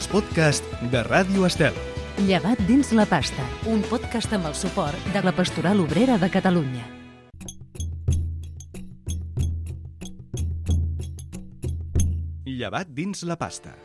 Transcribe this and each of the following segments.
els podcasts de Ràdio Estel. Llevat dins la pasta, un podcast amb el suport de la Pastoral Obrera de Catalunya. Llevat dins la pasta.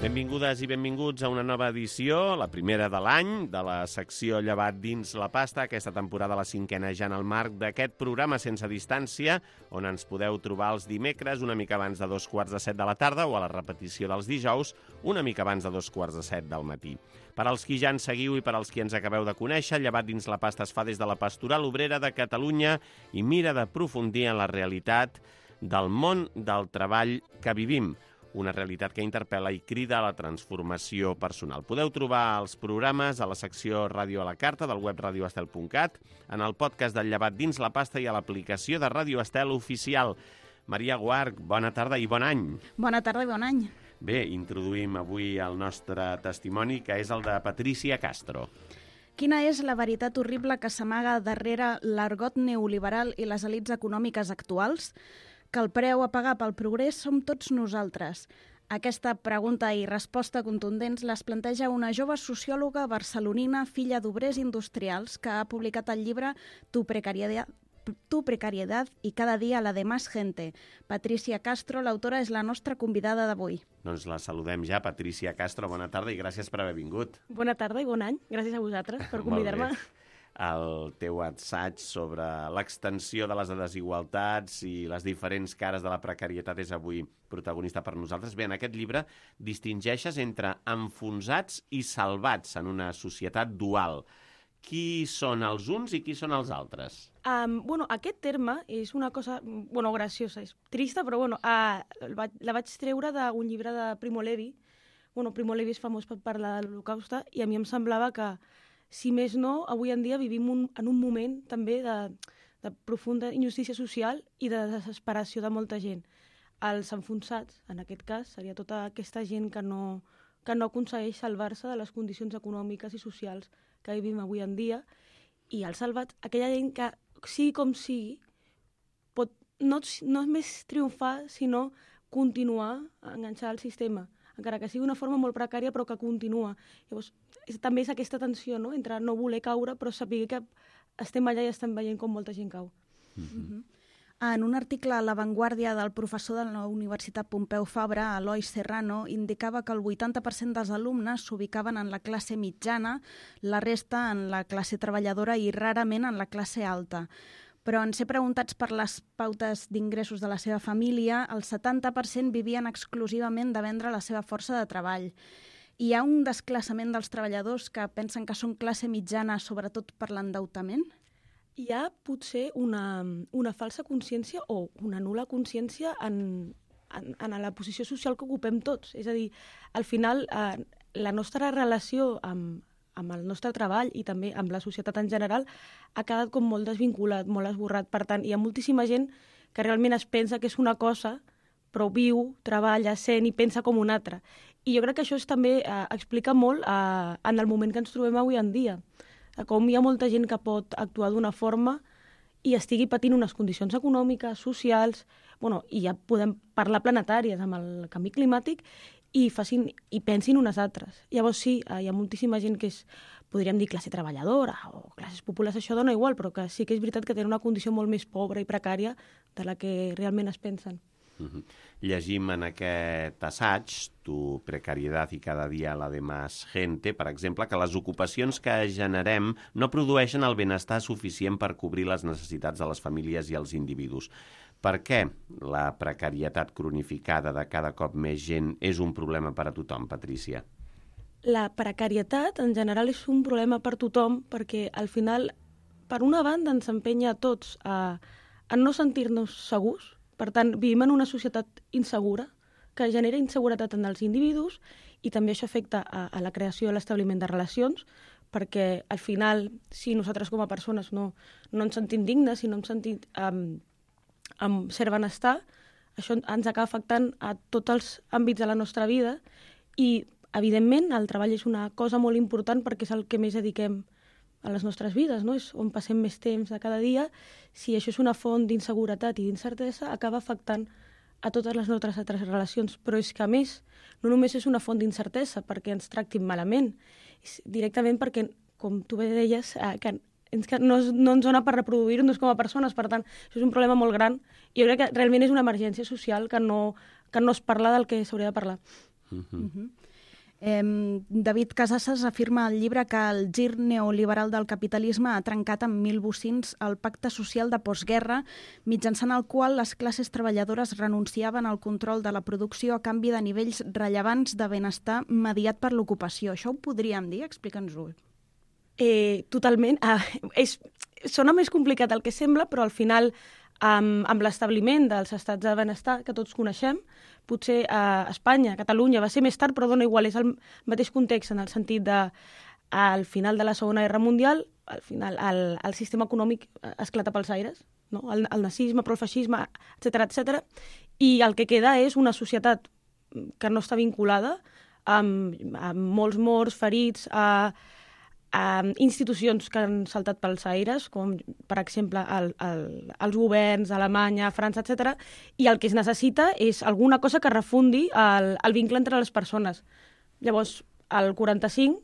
Benvingudes i benvinguts a una nova edició, la primera de l'any, de la secció Llevat dins la pasta, aquesta temporada la 5a ja en el marc d'aquest programa sense distància, on ens podeu trobar els dimecres una mica abans de 7:15 de la tarda o a la repetició dels dijous una mica abans de 7:15 del matí. Per als qui ja ens seguiu i per als qui ens acabeu de conèixer, Llevat dins la pasta es fa des de la Pastoral Obrera de Catalunya i mira d'aprofundir en la realitat del món del treball que vivim, una realitat que interpel·la i crida a la transformació personal. Podeu trobar els programes a la secció Ràdio a la Carta del web radioestel.cat, en el podcast del Llevat dins la pasta i a l'aplicació de Ràdio Estel oficial. Maria Guarch, bona tarda i bon any. Bona tarda i bon any. Bé, introduïm avui el nostre testimoni, que és el de Patricia Castro. Quina és la veritat horrible que s'amaga darrere l'argot neoliberal i les elits econòmiques actuals? Que el preu a pagar pel progrés som tots nosaltres. Aquesta pregunta i resposta contundents les planteja una jove sociòloga barcelonina, filla d'obrers industrials, que ha publicat el llibre Tu precariedad y cada día la de más gente. Patricia Castro, l'autora, és la nostra convidada d'avui. Doncs la saludem ja. Patricia Castro, bona tarda i gràcies per haver vingut. Bona tarda i bon any. Gràcies a vosaltres per convidar-me. El teu assaig sobre l'extensió de les desigualtats i les diferents cares de la precarietat és avui protagonista per nosaltres. Bé, en aquest llibre distingeixes entre enfonsats i salvats en una societat dual. Qui són els uns i qui són els altres? Aquest terme és una cosa graciosa, és trista, però la vaig treure d'un llibre de Primo Levi. Primo Levi és famós per parlar de l'Holocauste i a mi em semblava que, si més no, avui en dia vivim en un moment també de profunda injustícia social i de desesperació de molta gent. Els enfonsats, en aquest cas, seria tota aquesta gent que no aconsegueix salvar-se de les condicions econòmiques i socials que vivim avui en dia, i els salvats, aquella gent que, sigui com sigui, pot no només triomfar, sinó continuar a enganxar el sistema, encara que sigui una forma molt precària, però que continua. Llavors, també és aquesta tensió, no?, entre no voler caure, però saber que estem allà i estem veient com molta gent cau. En un article a La Vanguardia del professor de la Universitat Pompeu Fabra, Eloi Serrano, indicava que el 80% dels alumnes s'ubicaven en la classe mitjana, la resta en la classe treballadora i rarament en la classe alta. Però en ser preguntats per les pautes d'ingressos de la seva família, el 70% vivien exclusivament de vendre la seva força de treball. Hi ha un desclassament dels treballadors que pensen que són classe mitjana, sobretot per l'endeutament? Hi ha potser una falsa consciència o una nul·la consciència en la posició social que ocupem tots. És a dir, al final, la nostra relació amb el nostre treball i també amb la societat en general ha quedat com molt desvinculat, molt esborrat. Per tant, hi ha moltíssima gent que realment es pensa que és una cosa, però viu, treballa, sent i pensa com una altra. I jo crec que això també explica molt en el moment que ens trobem avui en dia. Com hi ha molta gent que pot actuar d'una forma i estigui patint unes condicions econòmiques, socials, i ja podem parlar planetàries amb el canvi climàtic, i pensin unes altres. Llavors sí, hi ha moltíssima gent que és, podríem dir, classe treballadora o classes populars, això dona igual, però que sí que és veritat que tenen una condició molt més pobra i precària de la que realment es pensen. Llegim en aquest assaig, Tu precariedad y cada día la de más gente, per exemple, que les ocupacions que generem no produeixen el benestar suficient per cobrir les necessitats de les famílies i els individus. Per què la precarietat cronificada de cada cop més gent és un problema per a tothom, Patricia? La precarietat, en general, és un problema per tothom perquè, al final, per una banda, ens empenya a tots a no sentir-nos segurs. Per tant, vivim en una societat insegura, que genera inseguretat en els individus i també això afecta a la creació i l'establiment de relacions, perquè al final, si nosaltres com a persones no ens sentim dignes, si no ens sentim amb cert benestar, això ens acaba afectant a tots els àmbits de la nostra vida i, evidentment, el treball és una cosa molt important perquè és el que més dediquem a les nostres vides, no? És on passem més temps de cada dia. Si això és una font d'inseguretat i d'incertesa, acaba afectant a totes les nostres altres relacions. Però és que, a més, no només és una font d'incertesa perquè ens tractin malament, és directament perquè, com tu bé deies, que no ens dona per reproduir-nos com a persones. Per tant, això és un problema molt gran. I jo crec que realment és una emergència social que no es parla del que s'hauria de parlar. David Casassas afirma al llibre que el gir neoliberal del capitalisme ha trencat amb 1.000 bocins el pacte social de postguerra, mitjançant el qual les classes treballadores renunciaven al control de la producció a canvi de nivells rellevants de benestar mediat per l'ocupació. Això ho podríem dir? Explica'ns-ho. Totalment. Sona més complicat del que sembla, però al final, amb l'establiment dels estats de benestar que tots coneixem, potser a Espanya, a Catalunya, va ser més tard, però dona igual, és el mateix context en el sentit de al final de la Segona Guerra Mundial, al final el sistema econòmic esclata pels aires, no? El nazisme, però el feixisme, etc. I el que queda és una societat que no està vinculada amb molts morts, ferits, a institucions que han saltat pels aires, com per exemple els governs, Alemanya, França, etc. I el que es necessita és alguna cosa que refundi el vincle entre les persones. Llavors, el 45,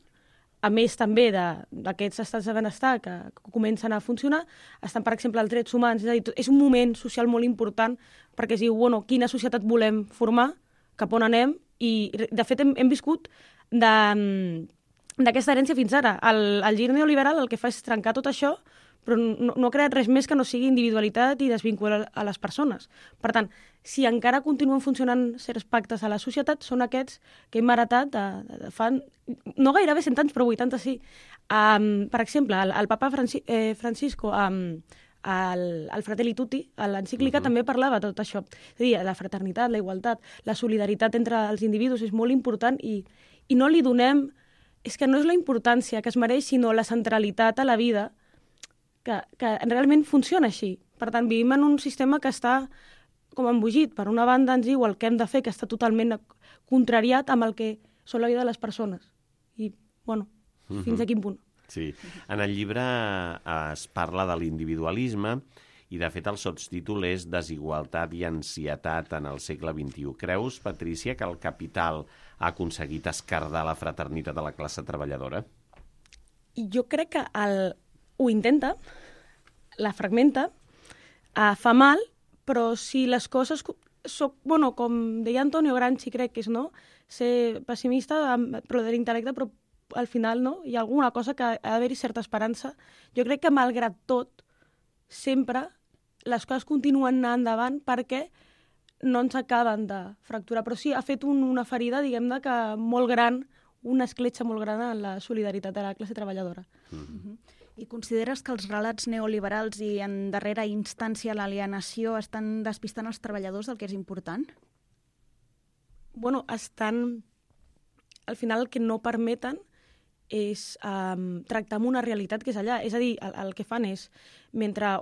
a més també d'aquests estats de benestar que comencen a funcionar, estan, per exemple, els drets humans. És a dir, és un moment social molt important perquè es diu, bueno, quina societat volem formar, cap on anem, i de fet hem viscut d'aquesta herència fins ara. El gir neoliberal el que fa és trencar tot això, però no ha creat res més que no sigui individualitat i desvincular a les persones. Per tant, si encara continuen funcionant certs pactes a la societat, són aquests que hem heretat de fa no gairebé 100 anys, però 80 sí. Per exemple, el papa Francisco, el Fratelli Tutti, a l'encíclica també parlava de tot això. És a dir, la fraternitat, la igualtat, la solidaritat entre els individus és molt important i no li donem... És que no és la importància que es mereix, sinó la centralitat a la vida, que realment funciona així. Per tant, vivim en un sistema que està com embogit. Per una banda ens diu el que hem de fer, que està totalment contrariat amb el que són la vida de les persones. I, bueno, fins a quin punt. Sí. En el llibre es parla de l'individualisme i, de fet, el sotstítol és Desigualtat i ansietat en el segle XXI. Creus, Patrícia, que el capital ha aconseguit esquerdar la fraternitat de la classe treballadora? Jo crec que ho intenta, la fragmenta, fa mal, però si les coses... Bueno, com deia Antonio Gramsci, crec que és, no? Ser pessimista, però de l'intel·lecte, però al final, no? Hi ha alguna cosa que ha d'haver-hi certa esperança. Jo crec que, malgrat tot, sempre les coses continuen anant endavant perquè no ens acaben de fracturar. Però sí, ha fet una ferida, diguem-ne, que molt gran, una escletxa molt gran en la solidaritat de la classe treballadora. I consideres que els relats neoliberals i, en darrera instància, l'alienació estan despistant els treballadors del que és important? Bueno, estan... Al final el que no permeten és tractar amb una realitat que és allà. És a dir, el que fan és, mentre...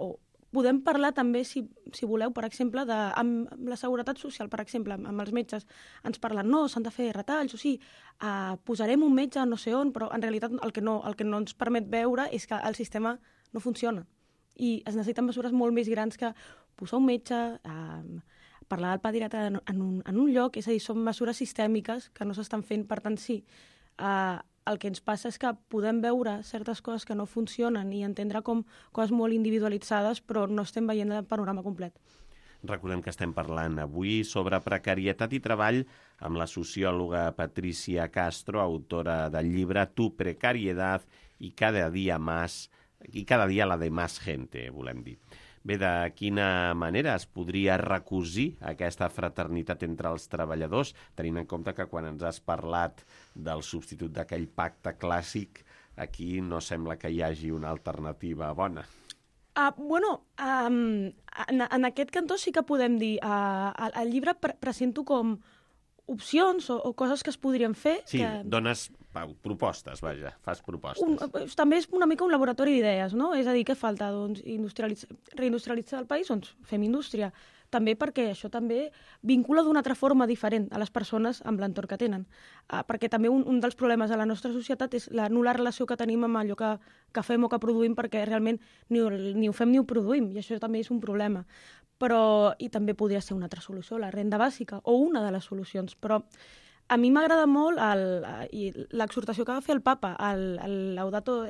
Podem parlar també, si voleu, per exemple, amb la seguretat social, per exemple, amb els metges. Ens parlen, no, s'han de fer retalls, o sí, posarem un metge no sé on, però en realitat el que no ens permet veure és que el sistema no funciona. I es necessiten mesures molt més grans que posar un metge, parlar del pediatre en un lloc, és a dir, són mesures sistèmiques que no s'estan fent, per tant, sí. El que ens passa és que podem veure certes coses que no funcionen i entendre com coses molt individualitzades, però no estem veient el panorama complet. Recordem que estem parlant avui sobre precarietat i treball amb la sociòloga Patricia Castro, autora del llibre Tu precariedad y cada día la de más gente, volem dir. Bé, de quina manera es podria recosir aquesta fraternitat entre els treballadors, tenint en compte que quan ens has parlat del substitut d'aquell pacte clàssic, aquí no sembla que hi hagi una alternativa bona. En aquest cantó sí que podem dir, al llibre presento com opcions o coses que es podrien fer. Sí, dones propostes, vaja, fas propostes. També és una mica un laboratori d'idees, no? És a dir, què falta? Doncs reindustrialitzar el país? Doncs fem indústria. També perquè això també vincula d'una altra forma diferent a les persones amb l'entorn que tenen. Perquè també un dels problemes de la nostra societat és la nul·la relació que tenim amb allò que fem o que produïm, perquè realment ni ho fem ni ho produïm, i això també és un problema. I també podria ser una altra solució, la renda bàsica, o una de les solucions. Però a mi m'agrada molt l'exhortació que va fer el papa, el Laudato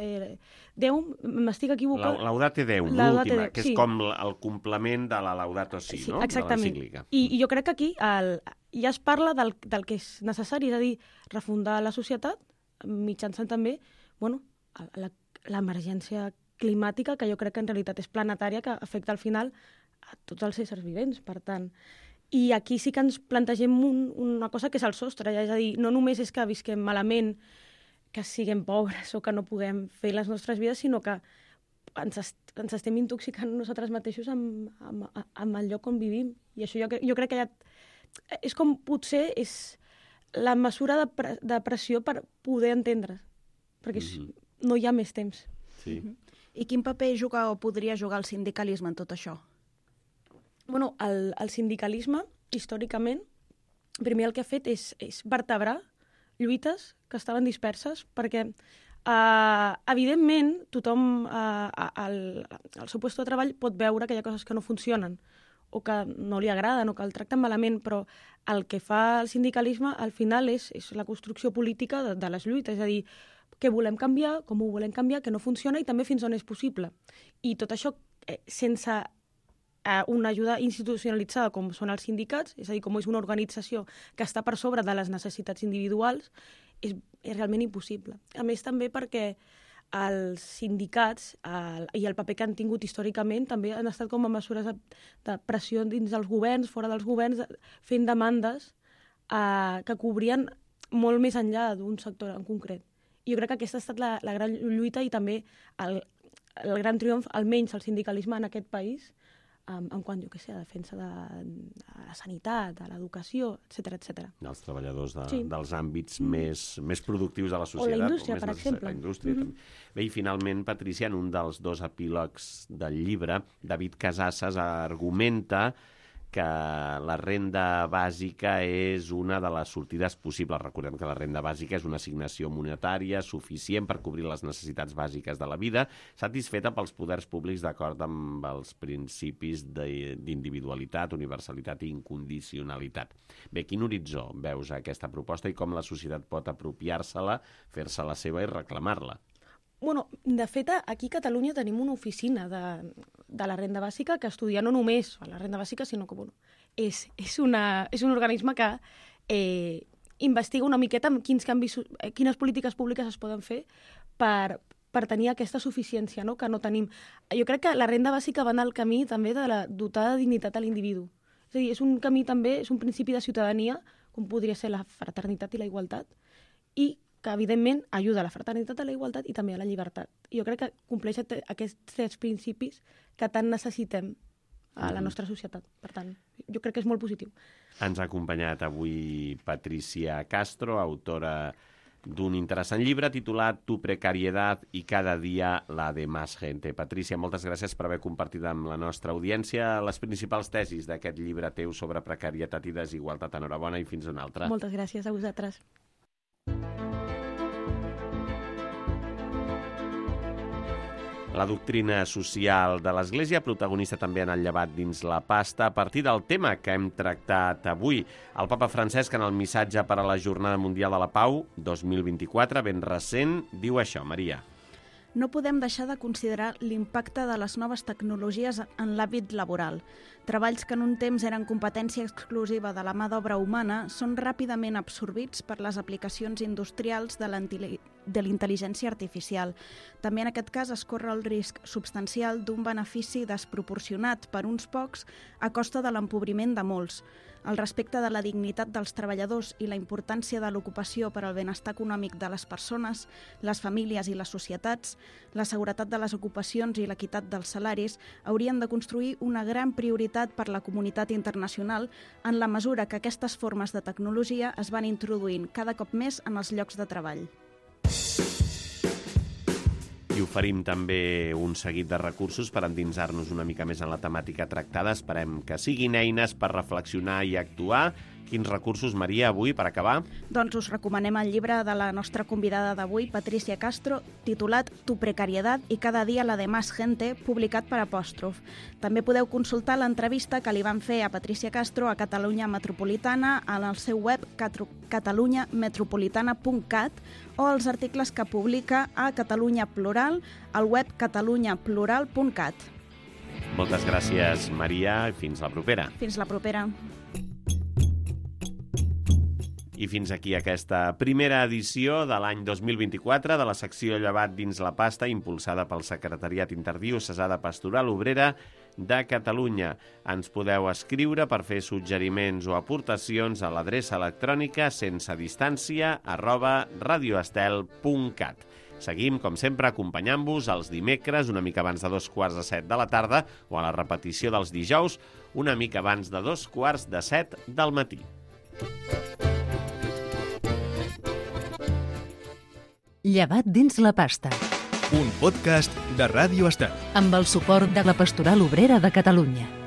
Deum, m'estic equivocant. Laudate Deum, l'última, que és com el complement de la Laudato Si, no? Exactament. De l'encíclica. I jo crec que aquí ja es parla del que és necessari, és a dir, refundar la societat mitjançant també l'emergència climàtica, que jo crec que en realitat és planetària, que afecta al final a tots els éssers vivents, per tant. I aquí sí que ens plantegem una cosa que és el sostre, és a dir, no només és que visquem malament, que siguem pobres o que no puguem fer les nostres vides, sinó que ens estem intoxicant nosaltres mateixos amb el lloc on vivim. I això jo crec que ja és com potser és la mesura de pressió per poder entendre, perquè no hi ha més temps. Sí. I quin paper juga o podria jugar el sindicalisme en tot això? Bueno, el sindicalisme, històricament, primer el que ha fet és vertebrar lluites que estaven disperses, perquè, evidentment, tothom al seu lloc de treball pot veure que hi ha coses que no funcionen o que no li agraden o que el tracten malament, però el que fa el sindicalisme, al final, és la construcció política de les lluites, és a dir, què volem canviar, com ho volem canviar, què no funciona i també fins on és possible. I tot això sense una ajuda institucionalitzada com són els sindicats, és a dir, com és una organització que està per sobre de les necessitats individuals, és realment impossible. A més, també perquè els sindicats i el paper que han tingut històricament també han estat com a mesures de pressió dins dels governs, fora dels governs, fent demandes que cobrien molt més enllà d'un sector en concret. I jo crec que aquesta ha estat la gran lluita i també el gran triomf, almenys el sindicalisme en aquest país, en quant, jo què sé, a defensa de la sanitat, de l'educació, etc. Els treballadors dels àmbits més productius de la societat. O la indústria, per exemple. La indústria, també. Bé, i finalment, Patrícia, en un dels 2 epílegs del llibre, David Casassas argumenta que la renda bàsica és una de les sortides possibles. Recordem que la renda bàsica és una assignació monetària suficient per cobrir les necessitats bàsiques de la vida, satisfeta pels poders públics d'acord amb els principis d'individualitat, universalitat i incondicionalitat. Bé, quin horitzó veus aquesta proposta i com la societat pot apropiar-se-la, fer-se-la seva i reclamar-la? Bueno, de fet, aquí a Catalunya tenim una oficina de la renda bàsica que estudia no només la renda bàsica, sinó que és un organisme que investiga una miqueta quines polítiques públiques es poden fer per tenir aquesta suficiència, no?, que no tenim. Jo crec que la renda bàsica va en el camí també de dotar de dignitat a l'individu. És a dir, és un camí també, és un principi de ciutadania, com podria ser la fraternitat i la igualtat, i que, evidentment, ajuda a la fraternitat, a la igualtat i també a la llibertat. I jo crec que compleix aquests 3 principis que tant necessitem a la nostra societat. Per tant, jo crec que és molt positiu. Ens ha acompanyat avui Patricia Castro, autora d'un interessant llibre titulat Tu precariedad y cada día la de más gente. Patricia, moltes gràcies per haver compartit amb la nostra audiència les principals tesis d'aquest llibre teu sobre precarietat i desigualtat. Enhorabona i fins una altra. Moltes gràcies a vosaltres. La doctrina social de l'Església, protagonista també en el llevat dins la pasta, a partir del tema que hem tractat avui. El papa Francesc, en el missatge per a la Jornada Mundial de la Pau 2024, ben recent, diu això, Maria. No podem deixar de considerar l'impacte de les noves tecnologies en l'àmbit laboral. Treballs que en un temps eren competència exclusiva de la mà d'obra humana són ràpidament absorbits per les aplicacions industrials de l'intel·ligència artificial. També en aquest cas es corre el risc substancial d'un benefici desproporcionat per uns pocs a costa de l'empobriment de molts. El respecte de la dignitat dels treballadors i la importància de l'ocupació per al benestar econòmic de les persones, les famílies i les societats, la seguretat de les ocupacions i l'equitat dels salaris haurien de construir una gran prioritat per la comunitat internacional en la mesura que aquestes formes de tecnologia es van introduint cada cop més en els llocs de treball. I oferim també un seguit de recursos per endinsar-nos una mica més en la temàtica tractada. Esperem que siguin eines per reflexionar i actuar. Quins recursos, Maria, avui, per acabar? Doncs us recomanem el llibre de la nostra convidada d'avui, Patricia Castro, titulat Tu precariedad y cada día la de más gente, publicat per Apòstrof. També podeu consultar l'entrevista que li van fer a Patricia Castro a Catalunya Metropolitana en el seu web catalunyametropolitana.cat o els articles que publica a Catalunya Plural al web catalunyaplural.cat. Moltes gràcies, Maria, i fins la propera. Fins la propera. I fins aquí aquesta primera edició de l'any 2024 de la secció Llevat dins la pasta, impulsada pel Secretariat Interdiocesà de Pastoral Obrera de Catalunya. Ens podeu escriure per fer suggeriments o aportacions a l'adreça electrònica senseDistància@radioestel.cat. Seguim, com sempre, acompanyant-vos els dimecres una mica abans de 6:45 de la tarda o a la repetició dels dijous una mica abans de 6:45 del matí. Llevat dins la pasta. Un podcast de Ràdio Estel. Amb el suport de la Pastoral Obrera de Catalunya.